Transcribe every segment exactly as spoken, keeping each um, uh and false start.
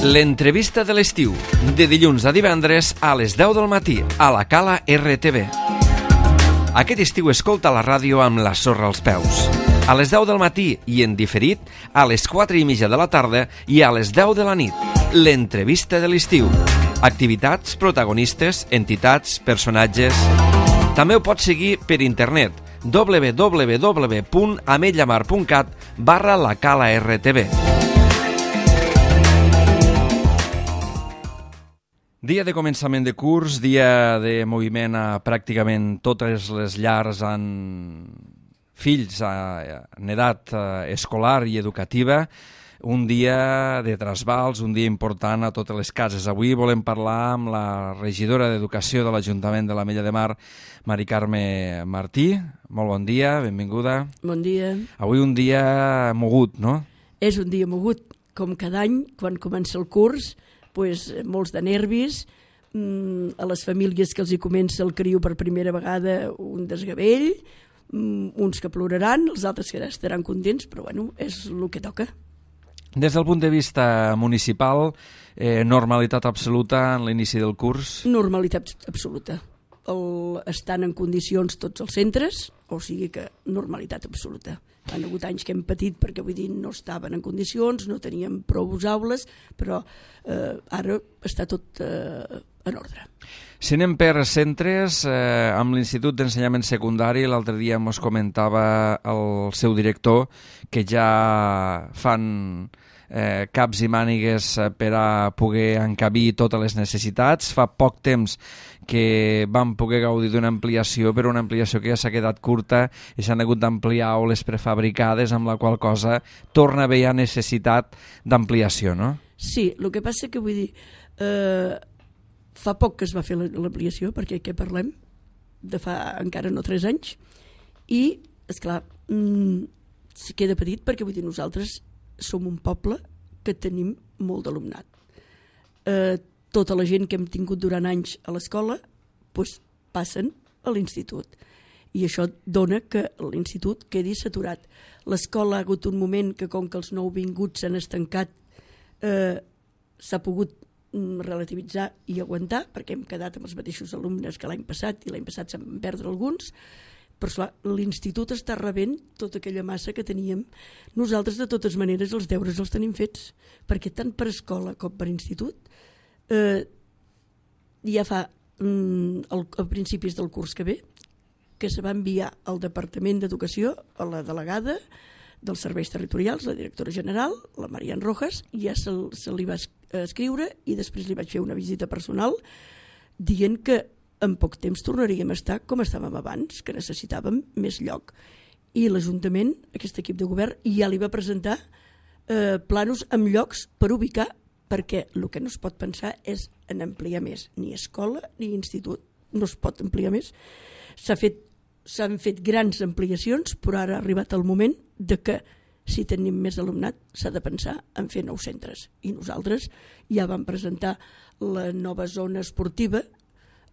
L'entrevista de l'estiu, de dilluns a divendres a les deu del matí, a la Cala R T V. Aquest estiu escolta la ràdio amb la sorra als peus. A les deu del matí i en diferit, a les quatre i mitja de la tarda i a les deu de la nit. L'entrevista de l'estiu. Activitats, protagonistes, entitats, personatges... També ho pots seguir per internet, w w w punt ametlla mar punt cat barra la Cala R T V. Dia de començament de curs, dia de moviment a pràcticament totes les llars amb fills en edat escolar i educativa. Un dia de trasbals, un dia important a totes les cases. Avui volem parlar amb la regidora d'Educació de l'Ajuntament de l'Ametlla de Mar, Mari Carme Martí. Molt bon dia, benvinguda. Bon dia. Avui un dia mogut, no? És un dia mogut, com cada any, quan comença el curs, pues, molts de nervis, mm, a les famílies que els hi comença el criu per primera vegada un desgavell, mm, uns que ploraran, els altres que estaran contents, però bueno, és el que toca. Des del punt de vista municipal, eh, normalitat absoluta en l'inici del curs? Normalitat absoluta. El, estan en condicions tots els centres, o sigui que normalitat absoluta. Han hagut anys que hem patit perquè vull dir no estaven en condicions, no teníem prou aules, però eh, ara està tot eh, en ordre. Si anem per centres, eh, amb l'Institut d'Ensenyament Secundari, l'altre dia ens comentava el seu director que ja fan eh, caps i mànigues per a poder encabir totes les necessitats. Fa poc temps que vam poder gaudir d'una ampliació, però una ampliació que ja s'ha quedat curta i s'han hagut d'ampliar aules prefabricades, amb la qual cosa torna a haver ja necessitat d'ampliació, no? Sí, el que passa que vull dir... Eh, fa poc que es va fer l'ampliació, perquè què parlem? De fa encara no tres anys. I, esclar, mmm, se queda petit perquè vull dir nosaltres som un poble que tenim molt d'alumnat. Eh, tota la gent que hem tingut durant anys a l'escola pues, passen a l'institut. I això dona que l'institut quedi saturat. L'escola ha hagut un moment que com que els nouvinguts s'han estancat eh, s'ha pogut relativitzar i aguantar, perquè hem quedat amb els mateixos alumnes que l'any passat i l'any passat se'n van perdre alguns, però esclar, l'institut està rebent tota aquella massa que teníem. Nosaltres, de totes maneres, els deures els tenim fets, perquè tant per escola com per institut eh, ja fa mm, el, a principis del curs que ve que se va enviar al Departament d'Educació a la delegada dels serveis territorials, la directora general, la Marian Rojas, i ja se, se li va escriure i després li vaig fer una visita personal dient que en poc temps tornaríem a estar com estàvem abans, que necessitàvem més lloc. I l'Ajuntament, aquest equip de govern, ja li va presentar eh, planos amb llocs per ubicar, perquè el que no es pot pensar és en ampliar més, ni escola ni institut, no es pot ampliar més. S'ha fet S'han fet grans ampliacions, però ara ha arribat el moment de que si tenim més alumnat s'ha de pensar en fer nous centres. I nosaltres ja vam presentar la nova zona esportiva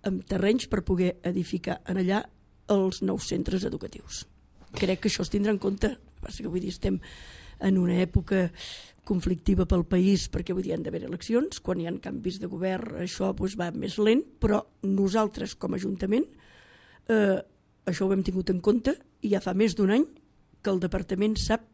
amb terrenys per poder edificar en allà els nous centres educatius. Crec que això es tindrà en compte. Que vull dir, estem en una època conflictiva pel país perquè vull dir, han d'haver eleccions. Quan hi ha canvis de govern això doncs, va més lent, però nosaltres com a Ajuntament eh, això ho hem tingut en compte i ja fa més d'un any que el departament sap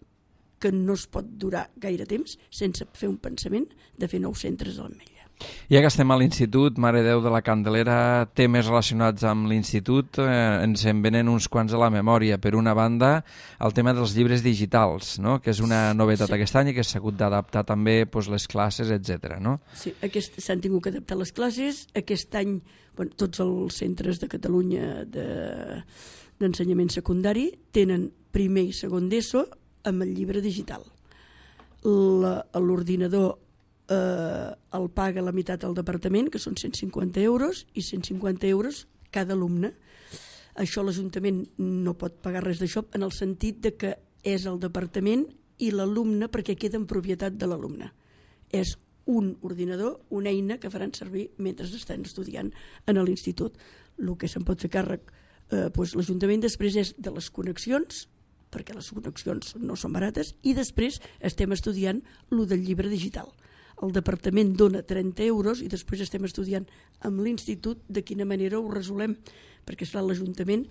que no es pot durar gaire temps sense fer un pensament de fer nous centres a l'Ametlla. Ja que estem a l'Institut, Mare Déu de la Candelera, temes relacionats amb l'Institut, eh, ens en venen uns quants a la memòria. Per una banda, el tema dels llibres digitals, no? Que és una novetat sí. Aquest any i que s'ha hagut d'adaptar també doncs, les classes, etcètera. No? Sí, s'han tingut que adaptar les classes. Aquest any bueno, tots els centres de Catalunya de, d'ensenyament secundari tenen primer i segon d'ESO amb el llibre digital. La, l'ordinador eh, el paga la meitat del departament, que són cent cinquanta euros, i cent cinquanta euros cada alumne. Això l'Ajuntament no pot pagar res d'això en el sentit de que és el departament i l'alumne perquè queda en propietat de l'alumne. És un ordinador, una eina que faran servir mentre estan estudiant en l'institut. El que se'n pot fer càrrec eh, doncs l'Ajuntament després és de les connexions, perquè les connexions no són barates, i després estem estudiant el del llibre digital. el departament dona trenta euros i després estem estudiant amb l'institut de quina manera ho resolem, perquè esclar, l'Ajuntament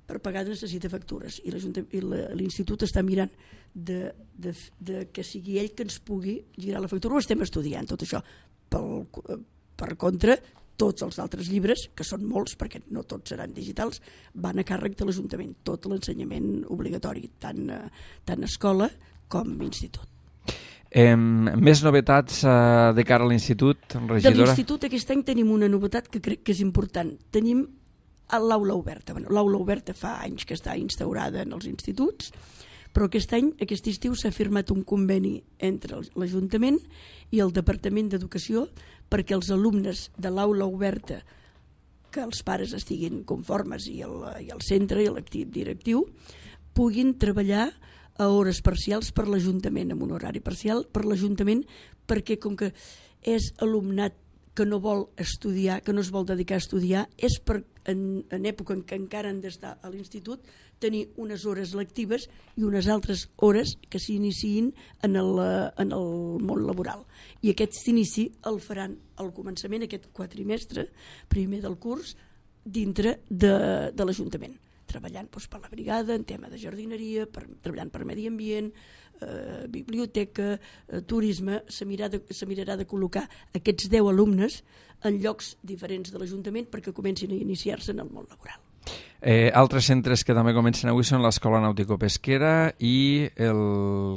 per pagar necessita factures i l'institut està mirant de, de, de que sigui ell que ens pugui girar la factura. Ho estem estudiant tot això. Pel, per contra, tots els altres llibres, que són molts perquè no tots seran digitals, van a càrrec de l'Ajuntament, tot l'ensenyament obligatori, tant, tant escola com institut. Eh, més novetats eh, de cara a l'institut, regidora? De l'institut aquest any tenim una novetat que crec que és important. Tenim l'aula oberta. Bueno, l'aula oberta fa anys que està instaurada en els instituts, però aquest any, aquest estiu, s'ha firmat un conveni entre l'Ajuntament i el Departament d'Educació perquè els alumnes de l'aula oberta, que els pares estiguin conformes i el, i el centre i l'equip directiu, puguin treballar a hores parcials per l'Ajuntament, amb un horari parcial per l'Ajuntament, perquè com que és alumnat que no vol estudiar, que no es vol dedicar a estudiar, és per, en, en època en què encara han d'estar a l'institut, tenir unes hores lectives i unes altres hores que s'iniciïn en el, en el món laboral. I aquest inici el faran al començament, aquest quatrimestre, primer del curs, dintre de, de l'Ajuntament, treballant doncs, per la brigada, en tema de jardineria, per, treballant per medi ambient, eh, biblioteca, eh, turisme. Se mirarà, de, se mirarà de col·locar aquests deu alumnes en llocs diferents de l'Ajuntament perquè comencin a iniciar-se en el món laboral. Eh, altres centres que també comencen avui són l'Escola Nàutico-Pesquera i el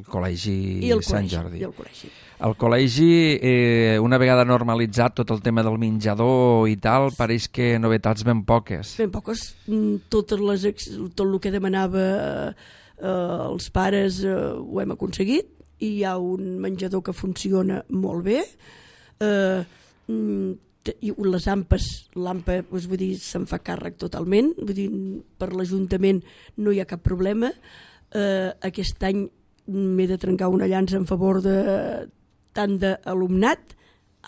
Col·legi I el Sant col·legi, Jordi. I el col·legi. El col·legi, eh, una vegada normalitzat tot el tema del menjador i tal, pareix que novetats ben poques. Ben poques. Totes les, tot el que demanava eh, els pares eh, ho hem aconseguit i hi ha un menjador que funciona molt bé. Eh, i les ampes, l'ampa doncs, vull dir, se'n fa càrrec totalment, vull dir, per l'Ajuntament no hi ha cap problema. Eh, aquest any m'he de trencar una llança en favor de tant d'alumnat,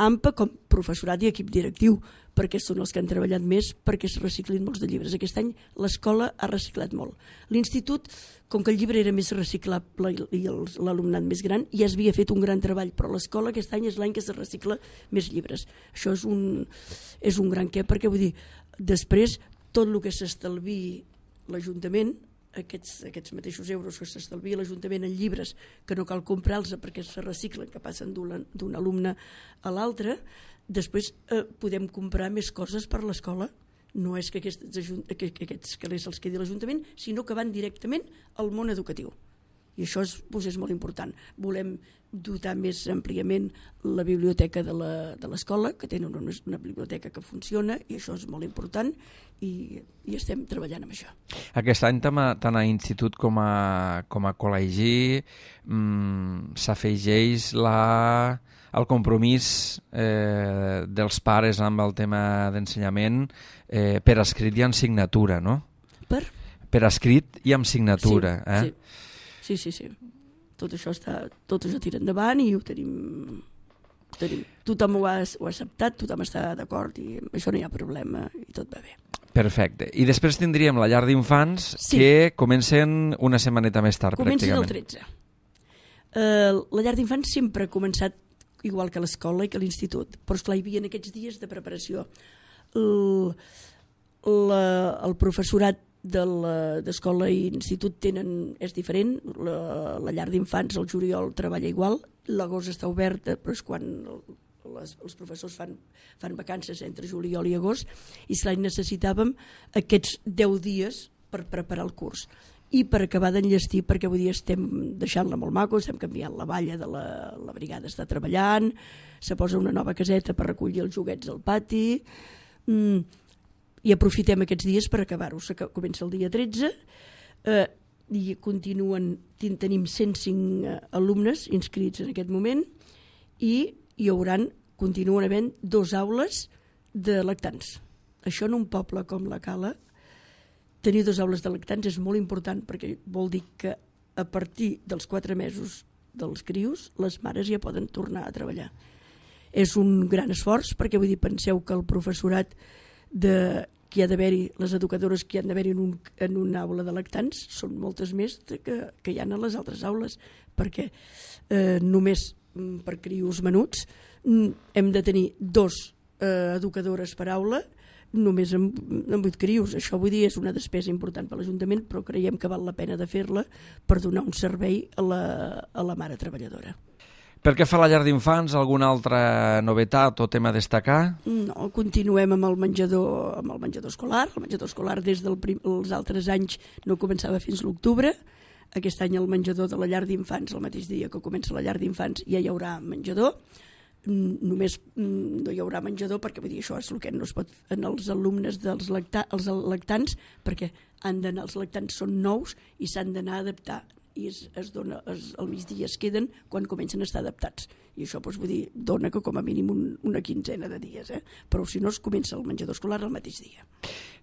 AMPA, com professorat i equip directiu, perquè són els que han treballat més perquè es reciclin molts de llibres. Aquest any l'escola ha reciclat molt. L'institut, com que el llibre era més reciclable i l'alumnat més gran, ja es havia fet un gran treball, però l'escola aquest any és l'any que es recicla més llibres. Això és un, és un gran què, perquè vull dir, després tot el que s'estalviï l'Ajuntament, aquests, aquests mateixos euros que s'estalvia l'Ajuntament en llibres que no cal comprar-los perquè se reciclen, que passen d'un alumne a l'altre, després eh, podem comprar més coses per l'escola. No és que aquests, que aquests calés els quedi l'Ajuntament, sinó que van directament al món educatiu. I això és, doncs és molt important. Volem dotar més àmpliament la biblioteca de l'escola, que tenen una, una biblioteca que funciona, i això és molt important, i, i estem treballant amb això. Aquest any, tant a, tant a institut com a, com a col·legi, mmm, s'afegeix la... el compromís eh, dels pares amb el tema d'ensenyament eh, per escrit i amb signatura, no? Per? Per escrit i amb signatura. Sí, eh? sí. Sí, sí, sí. Tot això, està, tot això tira endavant i ho tenim... Ho tenim. Tothom ho ha, ho ha acceptat, tothom està d'acord i amb això no hi ha problema i tot va bé. Perfecte. I després tindríem la llar d'infants, sí, que comencen una setmaneta més tard, comencen pràcticament. Comencen el tretze. Uh, la llar d'infants sempre ha començat igual que l'escola i que l'institut, però esclar, hi havia aquests dies de preparació. El, la, el professorat d'escola i institut tenen, és diferent. La, la llar d'infants al juliol treballa igual, l'agost està oberta, però és quan les, els professors fan, fan vacances entre juliol i agost, i esclar, necessitàvem aquests deu dies per preparar el curs. I per acabar d'enllestir, perquè avui dia estem deixant-la molt maco, estem canviant la valla de la, la brigada, està treballant, se posa una nova caseta per recollir els joguets al pati, mm, i aprofitem aquests dies per acabar-ho. Comença el dia tretze, eh, i continuen, tenim cent cinc alumnes inscrits en aquest moment, i hi hauran, continuen havent dos aules de lactants. Això en un poble com la Cala, tenir dues aules de lactants és molt important perquè vol dir que a partir dels quatre mesos dels crios les mares ja poden tornar a treballar. És un gran esforç perquè vull dir, penseu que el professorat de, que hi ha d'haver-hi, les educadores que hi han d'haver-hi en, un, en una aula de lactants són moltes més que, que hi ha a les altres aules, perquè eh, només per crios menuts, hem de tenir dos eh, educadores per aula, només amb, amb vuit crios. Això, vull dir, és una despesa important per l'Ajuntament, però creiem que val la pena de fer-la per donar un servei a la, a la mare treballadora. Per què fa la llar d'infants? Alguna altra novetat o tema a destacar? No, continuem amb el menjador, amb el menjador escolar. El menjador escolar des dels prim, altres anys no començava fins l'octubre. Aquest any el menjador de la llar d'infants, el mateix dia que comença la llar d'infants, ja hi haurà menjador. Només no hi haurà menjador perquè, vull dir, això és el que no es pot en els alumnes dels lacta, els lactants, perquè han d'anar, els lactants són nous i s'han d'anar a adaptar, i es, es dona, es, al migdia es queden quan comencen a estar adaptats, i això doncs, vull dir, dona que com a mínim un, una quinzena de dies, eh? Però si no es comença el menjador escolar el mateix dia.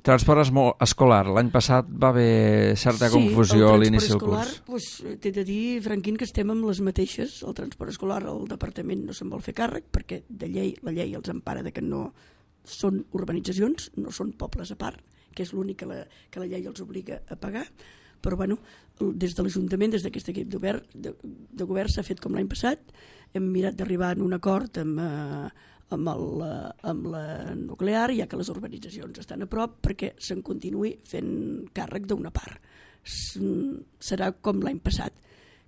Transport escolar, l'any passat va haver certa sí, confusió a l'inici del curs. Pues, t'he de dir, Franquín, que estem amb les mateixes. El transport escolar, el departament no se'n vol fer càrrec perquè de llei, la llei els empara de que no són urbanitzacions, no són pobles a part, que és l'únic que, la, que la llei els obliga a pagar. Però bueno, des de l'Ajuntament, des d'aquest equip de, de, de govern s'ha fet com l'any passat. Hem mirat d'arribar en un acord amb... Eh, Amb, el, amb la nuclear, ja que les urbanitzacions estan a prop, perquè se'n continuï fent càrrec d'una part. Serà com l'any passat.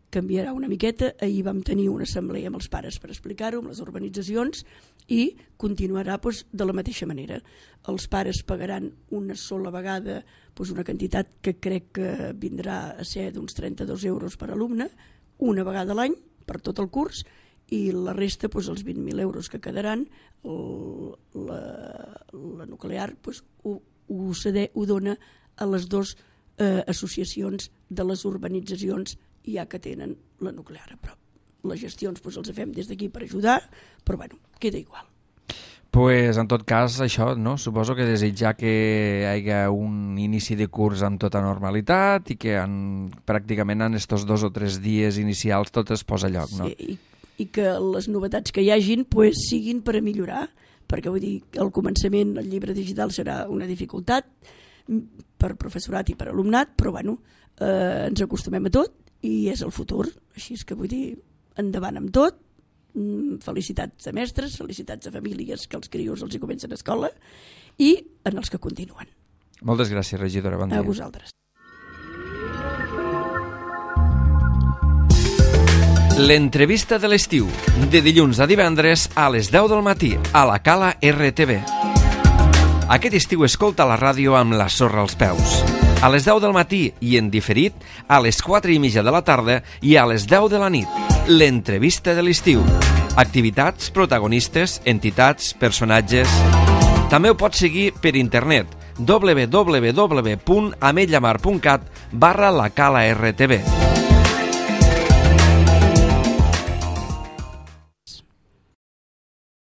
Canviarà una miqueta. Ahir vam tenir una assemblea amb els pares per explicar-ho, amb les urbanitzacions, i continuarà doncs, de la mateixa manera. Els pares pagaran una sola vegada doncs, una quantitat que crec que vindrà a ser d'uns trenta-dos euros per alumne, una vegada a l'any, per tot el curs, i la resta, doncs, els vint mil euros que quedaran, el, la, la nuclear doncs, ho, ho, cede, ho dona a les dues eh, associacions de les urbanitzacions ja que tenen la nuclear a prop. Les gestions doncs, els fem des d'aquí per ajudar, però bueno, queda igual. Pues, en tot cas, això, no? Suposo que desitjar que hi hagi un inici de curs amb tota normalitat i que en, pràcticament en estos dos o tres dies inicials tot es posa a lloc, no? Sí, i i que les novetats que hi hagin pues, siguin per a millorar, perquè vull dir que al començament el llibre digital serà una dificultat per professorat i per alumnat, però bueno, eh, ens acostumem a tot i és el futur, així és que vull dir endavant amb tot, felicitats a mestres, felicitats a famílies que els crios els hi comencen a escola i en els que continuen. Moltes gràcies, regidora, bon dia. A vosaltres. L'entrevista de l'estiu, de dilluns a divendres a les deu del matí, a la Cala R T V. Aquest estiu escolta la ràdio amb la sorra als peus. A les deu del matí i en diferit, a les quatre i mitja de la tarda i a les deu de la nit. L'entrevista de l'estiu. Activitats, protagonistes, entitats, personatges... També ho pots seguir per internet, w w w punt ametlamar punt cat barra la Cala R T V.